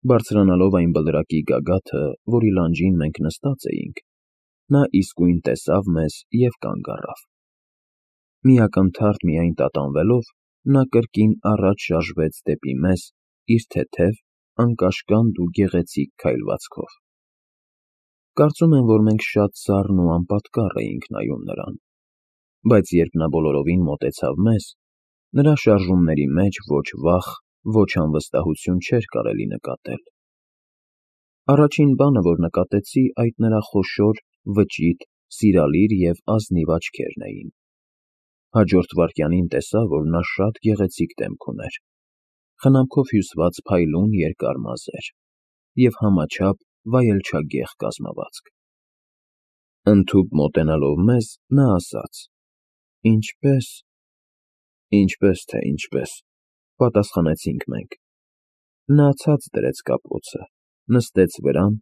Բարձրանալով այն բլրակի գագաթը, որի լանջին մենք նստած էինք, նա իսկույն տեսավ մեզ և կանգ առավ. մի ակնթարթ միայն տատանվելով, նա կրկին առաջ շարժվեց դեպի մեզ իր թեթև, անկաշկանդ ու գեղեցիկ քայլվածքով։ Կարծում եմ, որ մենք շատ սառն ու անպատկառ էինք նայում նրան, բայց երբ նա բոլորովին մոտեցավ մեզ, նրա շարժումների մեջ ոչ վախ, ոչ անվստահություն չէր կարելի նկատել։ Առաջին բանը, որ նկատեցի, այդ նրա խոշոր, վճիտ, սիրալիր և ազնիվ աչքերն էին։ Հաջորդ վայրկյանին տեսա, որ նա շատ գեղեցիկ դեմք ուներ, խնամքով հյուսված փայլուն երկար մազեր և համաչափ վայելչագեղ կազմվածք։ Ընդհուպ մոտենալով մեզ, նա ասաց. «Ինչպե՞ս»։ «Ինչպե՞ս թե ինչպե՞ս», պատասխանեցինք մենք։ Նա ցած դրեց կապոցը, նստեց վրան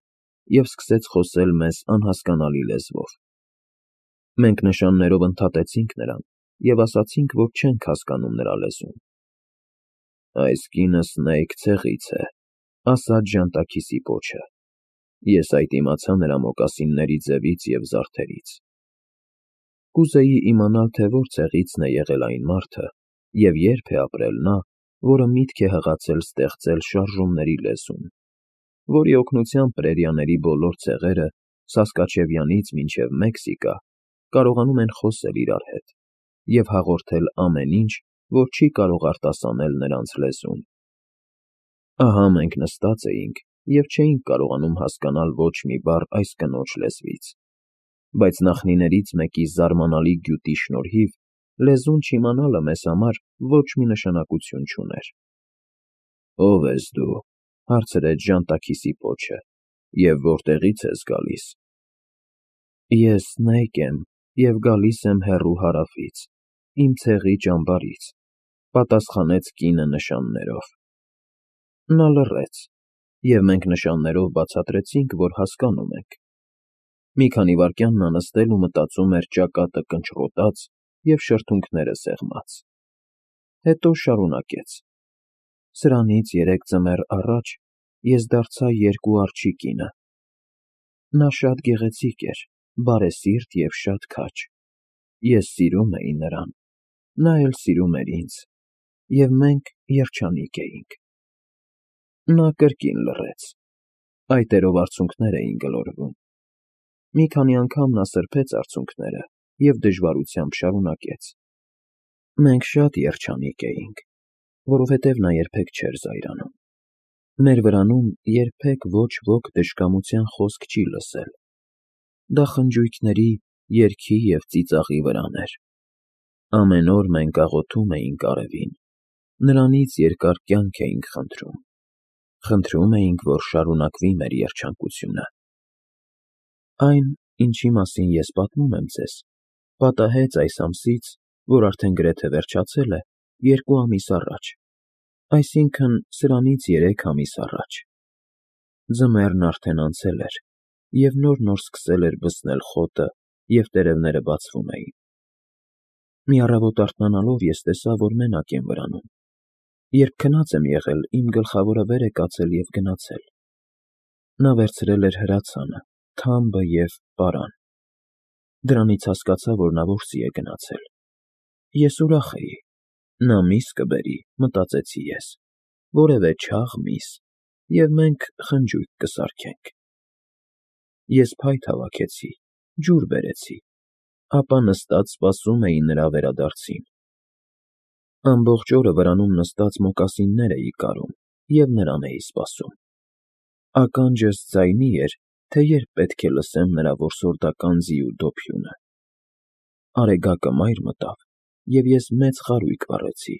և սկսեց խոսել մեզ անհասկանալի լեզվով։ Մենք նշաններով ընդհատեցինք նրան և ասացինք, որ չենք հասկանում նրա լեզուն։ «Այս կինը Սնեյք ցեղից է», ասաց ժանտաքիսի պոչը։ Ես այդ իմացա նրա մոկասինների ձևից և զարդերից։ Կուզեի իմանալ, թե որ ցեղիցն է եղել այն մարդը և երբ է ապրել նա, որը միտք է հղացել ստեղծել շարժումների լեզուն, որի օգնությամբ պրերիաների բոլոր ցեղերը Սասկաչևյանից մինչև Մեքսիկա կարողանում են խոսել իրար հետ և հաղորդել ամեն ինչ, որ չի կարող արտասանել նրանց լեզուն։ Ահա մենք նստած էինք և չէինք կարողանում հասկանալ ոչ մի բառ այս կնոջ լեզվից, բայց նախնիներից մեկի զարմանալի գյուտի շնորհիվ լեզուն չիմանալը մեզ համար ոչ մի նշանակություն չուներ։ «Ո՞վ ես դու», հարցրեց ժանտաքիսի պոչը, «և որտեղից ես գալիս»։ «Ես Սնեյկ եմ և գալիս եմ հեռու հարավից, իմ ցեղի ճամբարից», պատասխանեց կինը նշաններով։ Նա լռեց, և մենք նշաններով բացատրեցինք, որ հասկանում ենք։ Մի քանի վայրկյան նա նստել ու մտածում էր ճակատը կնճռոտած և շրթունքները սեղմած։ Հետո շարունակեց. «Սրանից 3 ձմեռ առաջ ես դարձա 2 արջի կինը։ Նա շատ գեղեցիկ էր, բարեսիրտ և շատ քաջ։ Ես սիրում էի նրան, նա էլ սիրում էր ինձ, և մենք երջանիկ էինք»։ Նա կրկին լռեց։ Այտերով արցունքներ էին գլորվում։ Մի քանի անգամ նա սրբեց արցունքները և դժվարությամբ շարունակեց. «Մենք շատ երջանիկ էինք, որովհետև նա երբեք չէր զայրանում։ Մեր վրանում երբեք ոչ ոք դժկամության խոսք չի լսել։ Դա խնջույքների, երգի և ծիծաղի վրան էր։ Ամեն օր մենք աղոթում էինք արևին, նրանից երկար կյանք էինք խնդրում։ Խնդրում էինք, որ շարունակվի մեր երջանկությունը։ Այն, ինչի մասին ես պատմում եմ ձեզ, պատահեց այս ամսից, որ արդեն գրեթե վերջացել է, 2 ամիս առաջ, այսինքն՝ սրանից 3 ամիս առաջ։ Ձմեռն արդեն անցել էր, և նոր սկսել էր բսնել խոտը, և տերևները բացվում էին։ Մի առավոտ արթնանալով ես տեսա, որ մենակ եմ վրանում։ Երբ քնած եմ եղել, իմ գլխավորը վեր է կացել և գնացել։ Նա վերցրել էր հրացանը, թամբը և պարան։ Դրանից հասկացա, որ նա որսի է գնացել։ Ես ուրախ էի։ Նա միս կբերի, մտածեցի ես, որևէ չաղ միս, և մենք խնջույք կսարքենք։ Ես փայտ հավաքեցի, ջուր բերեցի, ապա նստած սպասում էի նրա վերադարձին։ Ամբողջ օրը վրանում նստած մոկասիններ էի կարում և նրան էի սպասում։ Ականջս ձայնի էր, թե երբ պետք է լսեմ նրա որսորդական ձիու դոփյունը։ Արեգակը մայր մտավ, և ես մեծ խարույկ վառեցի։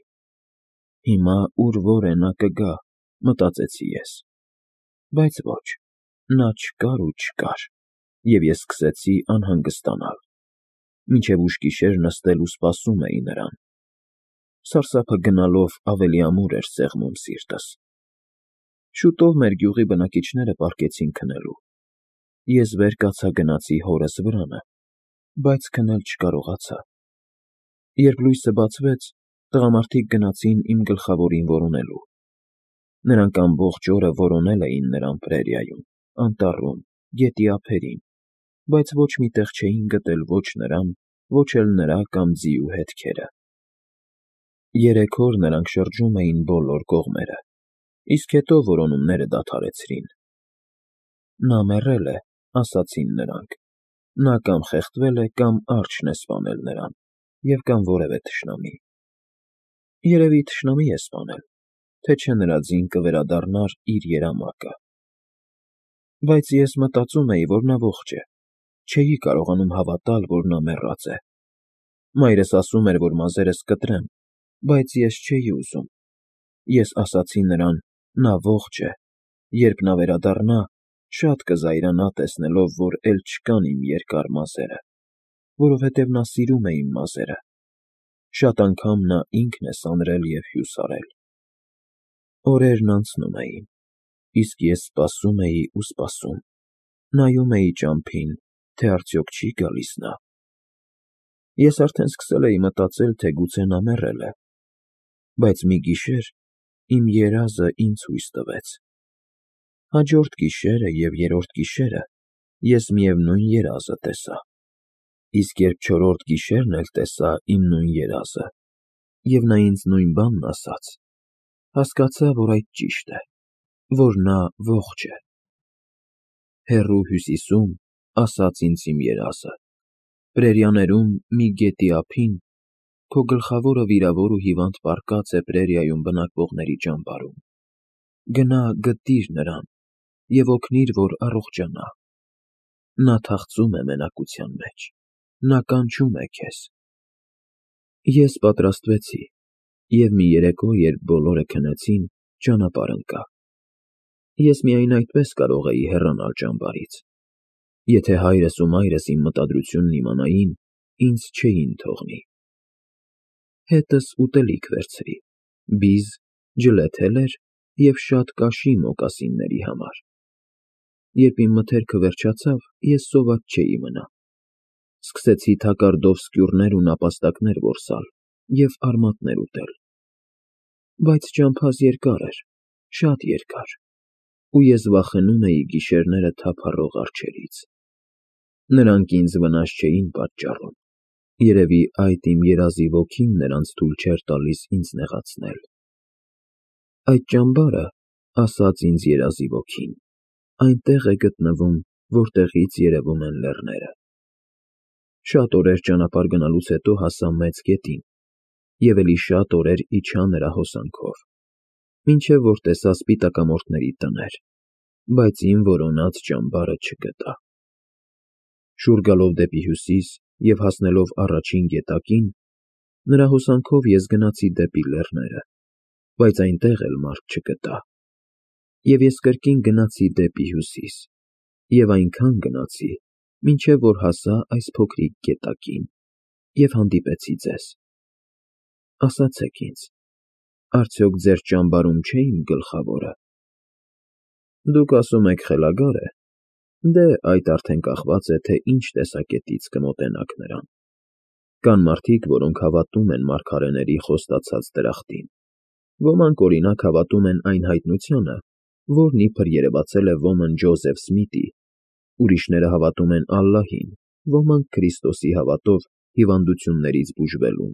Հիմա ուր որ է նա կգա, մտածեցի ես։ Բայց ոչ, նա չկար ու չկար, և ես սկսեցի անհանգստանալ։ Մինչև ուշ գիշեր նստել ու սպասում էի նրան։ Սարսափը գնալով ավելի ամուր էր սեղմում սիրտս։ Շուտով մեր գյուղի բնակիչները պառկեցին քնելու։ Ես վեր կացա գնացի հորս վրանը, բայց քնել չկարողացա։ Երբ լույսը բացվեց, տղամարդիկ գնացին իմ գլխավորին որոնելու։ Նրանք ամբողջ օրը որոնել էին նրան պրերիայում, անտառում, գետի ափերին, բայց ոչ մի տեղ չէին գտել ոչ նրան, ոչ էլ նրա կամ ձիու հետքերը։ 3 օր նրանք շրջում էին բոլոր կողմերը, իսկ հետո որոնումները դադարեցրին։ Նա մեռել է, ասացին նրանք, նա կամ խեղդվել է, կամ արջն է սպանել նրան, և կամ որևէ թշնամի։ Երևի թշնամի է սպանել, թե չէ նրա ձին կվերադառնար իր երամակը։ Բայց ես մտածում էի, որ նա ողջ է, չէի կարողանում հավատալ, որ նա մեռած է։ Մայրս ասում էր, որ մազերս կտրեմ, բայց ես չէի ուզում։ Ես ասացի նրան, նա ողջ է, երբ նա վերադառնա, շատ կզայրանա տեսնելով, որ էլ չկան իմ երկար մազերը, որովհետև նա սիրում է իմ մազերը։ Շատ անգամ նա ինքն է սանրել և հյուսարել։ Օրերն անցնում էին, իսկ ես սպասում էի ու սպասում, նայում էի ճամփին, թե արդյոք չի գալիս նա։ Ես արդեն սկսել էի մտածել, թե գուցե նա մեռել է, բայց մի գիշեր իմ երազը ինձ հույս տվեց։ Հաջորդ գիշերը և երրորդ գիշերը ես միևնույն երազը տեսա, իսկ երբ չորրորդ գիշերն էլ տեսա իմ նույն երազը, և նա ինձ նույն բանն ասաց, հասկացա, որ այդ ճիշտ է, որ նա ողջ է։ Հեռու հյուսիսում, ասաց ինձ իմ երազը, պրերիաներում մի գետի ափին, քո գլխավորը վիրավոր ու հիվանդ պառկած է պրերիայում բնակվողների ճամբարում։ Գնա գտիր նրան և օգնիր, որ առողջանա։ Նա թախծում է մենակության մեջ, նա կանչում է քեզ։ Ես պատրաստվեցի, և մի երեկո, երբ բոլորը քնեցին, ճանապարհ ընկա։ Ես միայն այդպես կարող էի հեռանալ ճամբարից։ Եթե հայրս ու մայրս իմ մտադրությունն իմանային, ինձ չէին թողնի։ Հետս ուտելիք վերցրի, բիզ, ջլեթելեր և շատ կաշի մոկասինների համար։ Երբ իմ մթերքը վերջացավ, ես սոված չէի մնա։ Սկսեցի թակարդով սկյուռներ ու նապաստակներ որսալ և արմատներ ուտել։ Բայց ճամփաս երկար էր, շատ երկար, ու ես վախենում էի գիշերները թափառող արջերից։ Նրանք ինձ վնաս չէին պատճառում, երևի այդ իմ երազի ոգին նրանց թույլ չէր տալիս ինձ նեղացնել։ Այդ ճամբարը, ասաց ինձ երազի ոգին, այնտեղ է գտնվում, որտեղից երևում են լեռները։ Շատ օրեր ճանապարհ գնալուց հետո հասա մեծ գետին, և էլի շատ օրեր իջա նրա հոսանքով, մինչև որ տեսա սպիտակամորթների տներ, բայց իմ որոնած ճամբարը չգտա։ Շուռ գալով դեպի հյուսիս և հասնելով առաջին գետակին, նրա հոսանքով ես գնացի դեպի լեռները, բայց այնտեղ էլ մարդ չգտա։ Եվ ես կրկին գնացի դեպի հյուսիս, և այնքան գնացի, մինչև որ հասա այս փոքրիկ գետակին և հանդիպեցի ձեզ։ Ասացեք ինձ, արդյոք ձեր ճամբարում չէ իմ գլխավորը։ Դուք ասում եք խելագար է, դե այդ արդեն կախված է, թե ինչ տեսակետից կմոտենաք նրան։ Կան մարդիկ, որոնք հավատում են մարգարեների խոստացած դրախտին։ Ոմանք, օրինակ, հավատում են այն հայտնությանը, որն իբր երևացել է ոմն Ջոզեֆ Սմիթի, ուրիշները հավատում են Ալլահին, ոմանք Քրիստոսի հավատով հիվանդություններից բուժվելուն,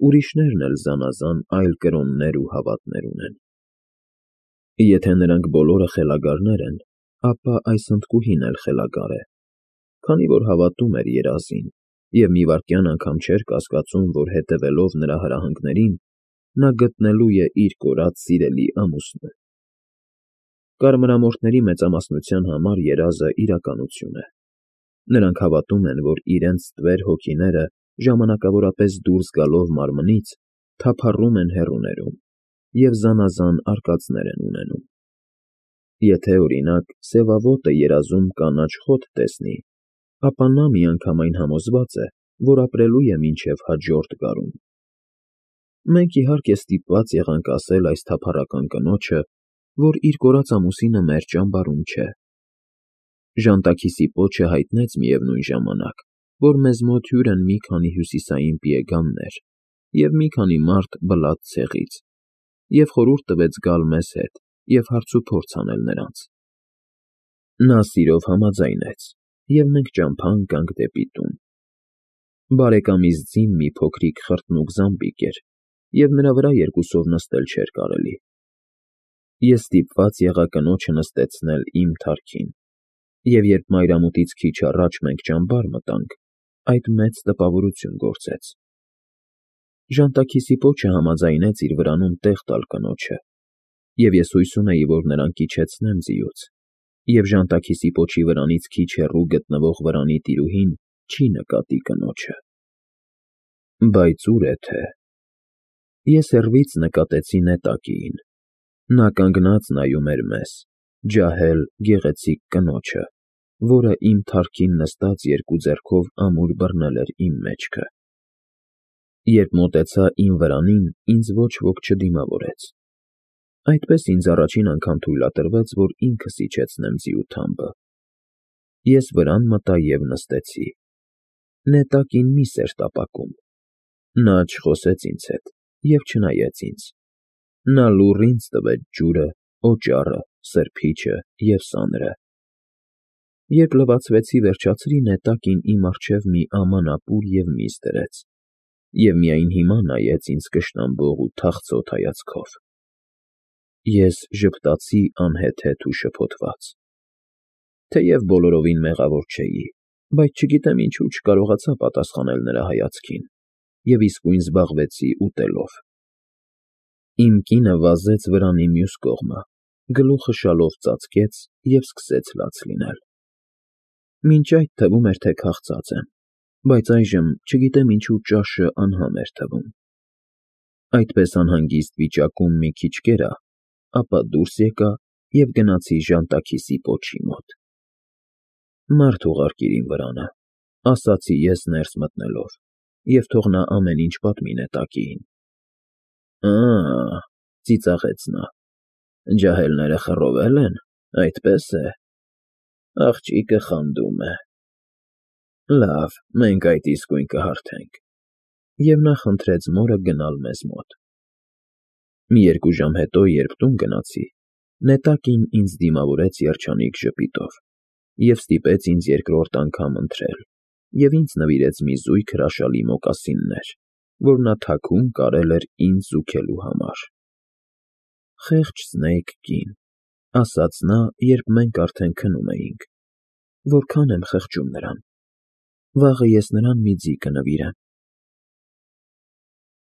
ուրիշներն էլ զանազան այլ կրոններ ու հավատներ ունեն։ Եթե նրանք բոլորը խելագարներ են, ապա այս հնդկուհին էլ խելագար է, քանի որ հավատում էր երազին և մի վայրկյան անգամ չէր կասկածում, որ հետևելով նրա հրահանգներին, նա գտնելու է իր կորած սիրելի ամուսնուն։ Կարմրամորթների մեծամասնության համար երազը իրականություն է։ Նրանք հավատում են, որ իրենց ստվեր հոգիները ժամանակավորապես դուրս գալով մարմնից, թափառում են հեռուներում և զանազան արկածներ են ունենում։ Եթե, օրինակ, սևավոտը երազում կանաչ խոտ տեսնի, ապա նա միանգամայն համոզված է, որ ապրելու է մինչև հաջորդ գարուն։ Մենք, իհարկե, ստիպված եղանք ասել այս թափառական կնոջը, որ իր կորած ամուսինը մեր ճամբարում չէ։ Ժանտաքիսի պոչը հայտնեց միևնույն ժամանակ, որ մեզ մոտ հյուր են մի քանի հյուսիսային պիեգաններ և մի քանի մարդ Բլադ ցեղից, և խորհուրդ տվեց գալ մեզ հետ և հարցուփորձ անել նրանց։ Նա սիրով համաձայնեց, և մենք ճամփա ընկանք դեպի տուն։ Բարեկամիս ձին մի փոքրիկ խրտնուկ զամբիկ էր, և նրա վրա երկուսով նստել չէր կարելի։ Ես ստիպված եղա կնոջը նստեցնել իմ թարքին, և երբ մայրամուտից քիչ առաջ մենք ճամբար մտանք, այդ մեծ տպավորություն գործեց։ Ժանտաքիսի պոչը համաձայնեց իր վրանում տեղ տալ կնոջը, և ես հույս ունեի, որ նրան կիջեցնեմ ձիուց, և ժանտաքիսի պոչի վրանից քիչ հեռու գտնվող վրանի տիրուհին չի նկատի կնոջը։ Բայց ուր է թե… Ես հեռվից նկատեցի նետակիին։ Նա կանգնած նայում էր մեզ, ջահել, գեղեցիկ կնոջը, որը իմ թարքին նստած երկու ձեռքով ամուր բռնել էր իմ մեջքը։ Երբ մոտեցա իմ վրանին, ինձ ոչ ոք չդիմավորեց։ Այդպես ինձ առաջին անգամ թույլատրվեց, որ ինքս իջեցնեմ ձիու թամբը։ Ես վրան մտա և նստեցի։ Նետակին միս էր տապակում։ Նա չխոսեց ինձ հետ և չնայեց ինձ։ Նա լուռ ինձ տվեց ջուրը, օճառը, սրբիչը և սանրը։ Երբ լվացվեցի վերջացրի, նետակին իմ առջև մի աման ապուր և միս դրեց, և միայն հիմա նայեց ինձ կշտամբող ու թախծոտ հայացքով։ Ես ժպտացի անհեթեթ ու շփոթված։ Թեև բոլորովին մեղավոր չէի, բայց չգիտեմ ինչու չկարողացա պատասխանել նրա հայացքին և իսկույն զբաղվեցի ուտելով։ Իմ կինը վազեց վրանի մյուս կողմը, գլուխը շալով ծածկեց և սկսեց լաց լինել։ Մինչ այդ թվում էր, թե քաղցած եմ, բայց այժմ չգիտեմ ինչու ճաշը անհամ էր թվում։ Այդպես անհանգիստ վիճակում մի քիչ կերա, ապա դուրս եկա և գնացի ժանտաքիսի պոչի մոտ։ Մարդ ուղարկիր իմ վրանը, ասացի ես ներս մտնելով, և թող նա ամեն ինչ պատմի նետակիին։ Ծիծաղեց նա, ջահելները խռովել են, այդպես է։ Աղջիկը խանդում է։ Լավ, մենք այդ իսկույն կհարթենք։ Եվ նա խնդրեց մորը գնալ մեզ մոտ։ Մի երկու ժամ հետո, երբ տուն գնացի, նետակին ինձ դիմավորեց երջանիկ ժպիտով և ստիպեց ինձ երկրորդ անգամ ընթրել և ինձ նվիրեց մի զույգ հրաշալի մոկասիններ, որ նա թաքուն կարել էր ինձ զուգելու համար։ Խեղճ Սնեյք կին, ասաց նա, երբ մենք արդեն քնում էինք, որքան եմ խղճում նրան։ Վաղը ես նրան մի ձի կնվիրեմ։